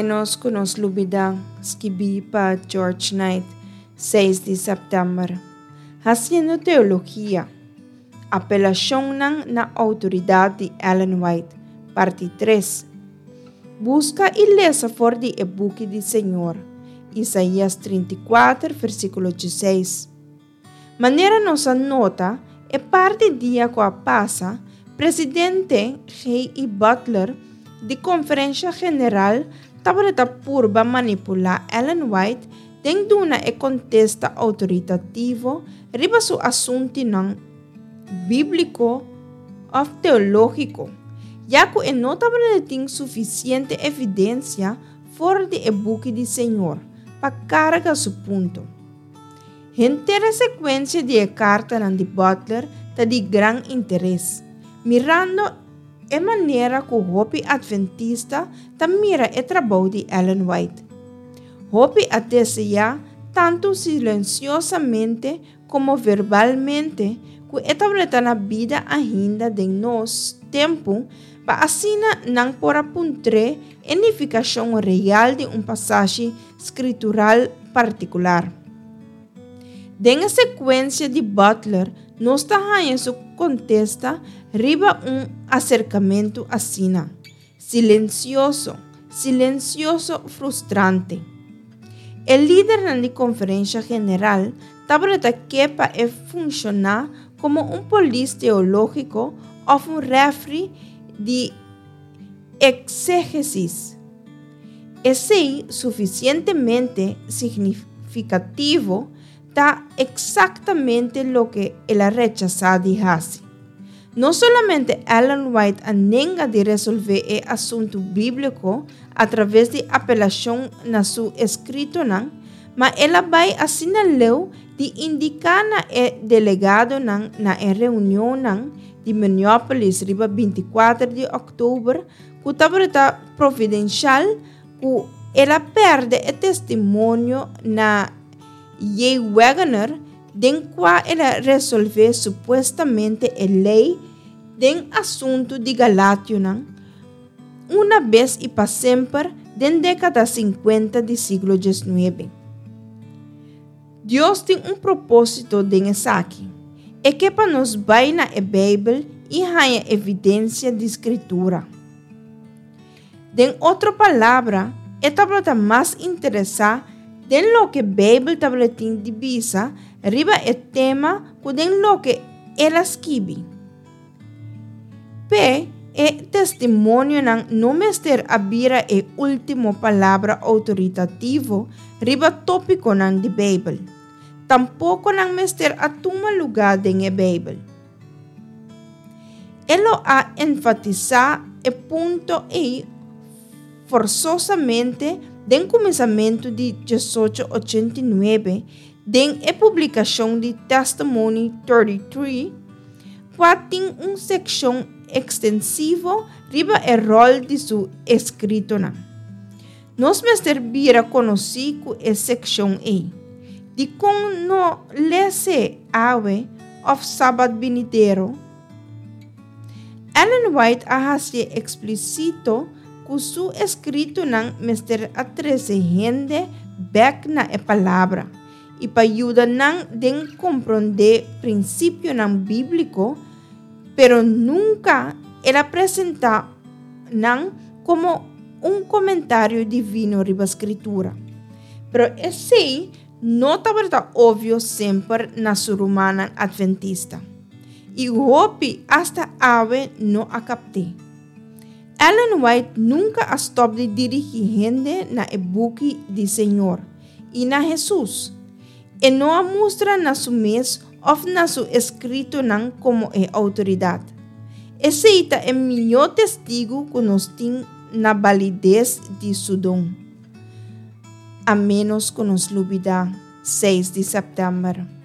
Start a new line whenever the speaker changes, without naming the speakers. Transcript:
ménos ku nos lubidá, skibí pa George Knight, 6 di sèptèmber. Hasiendo teologia, Apelashonnan na outoridat di Ellen White, parti 3. Buska i lesa for di e buki di Señor, Isaías 34, versíkulo 16. Manera nos a nota, e par di dia ku a pasa, Presidente G. E. Butler di Konferensha General tabata ta purba manipulá Ellen White den duna e kontesta outoritativo riba su asuntunan bíbliko òf teológiko, ya ku e no tabata tin sufisiente evidensia for di e buki di Señor pa karga su punto. Henter e sekuensia di e kartanan di Butler ta di gran interes, mirando e manera ku hopi atventista ta mira e trabou di Ellen White. Hopi a deseá, tantu silensiosamente komo verbalmente, ku e tabata na bida ainda den nos tempu pa asina nan por a puntr'é e nifikashon real di un pasashi skritural partikular. Den e sekuensia di Butler nos ta haña su kontesta riba un aserkamentu asina, silensioso, silensioso frustrante. E lidernan di Konferensha General tabata ke pa e funshoná komo un polis teológiko òf un rèfri di Exégesis. Esei sufisientemente signifikativo ta eksaktamente loke el a rechasá di hasi. No solamente Ellen White a nenga di resolvé e asuntu bíbliko atraves di apelashon na su eskritonan, ma el a bai asina leu di indiká na e delegadonan na e reunionnan di Minneapolis riba 24 di òktober ku tabata providenshal ku el a pèrdè e testimonio na J. Waggoner den kua el a resolvé supuestamente e lei den asuntu di Galationan una bes i pa semper den dékada 50 di siglo 19. Dios tin un propósito den esaki. E ke pa nos bai na e Beibel i haña evidensia di Skritura. Den otro palabra, e tabata mas interesá den loke Beibel tabatin di bisa riba e tema ku den loke el a skibi. P'e, e testimonionan no mester a bira e último palabra outoritativo riba tópikonan di Beibel. Tampoko nan mester a tuma lugá den e Beibel. E lo a enfatisá e punto ei forsosamente den kuminsamentu di 1889 den e publikashon di Testimony 33, kua tin un sekshon ekstensivo riba e ròl di su eskritonan. Nos mester bira konosí ku e sekshon ei. Dikon no les'é awe òf sabat binidero? Ellen White a hasié eksplísito ku su eskritonan mester a trese hende bèk na e Palabra i pa yuda nan den komprondé prinsipionan bíbliko, pero nunka el a presentá nan komo un komentario divino riba Skritura. Pero esei no tabata obvio semper na su rumannan atventista, i hopi asta awe no a kapt'é. Ellen White nunka a stòp di dirigí hende na e buki di Señor i na Hesus. E no a mustra na su mes òf na su eskritonan komo e outoridat. Esei ta e mihó testigu ku nos tin na balides di su don. A ménos ku nos lubidá 6 di sèptèmber.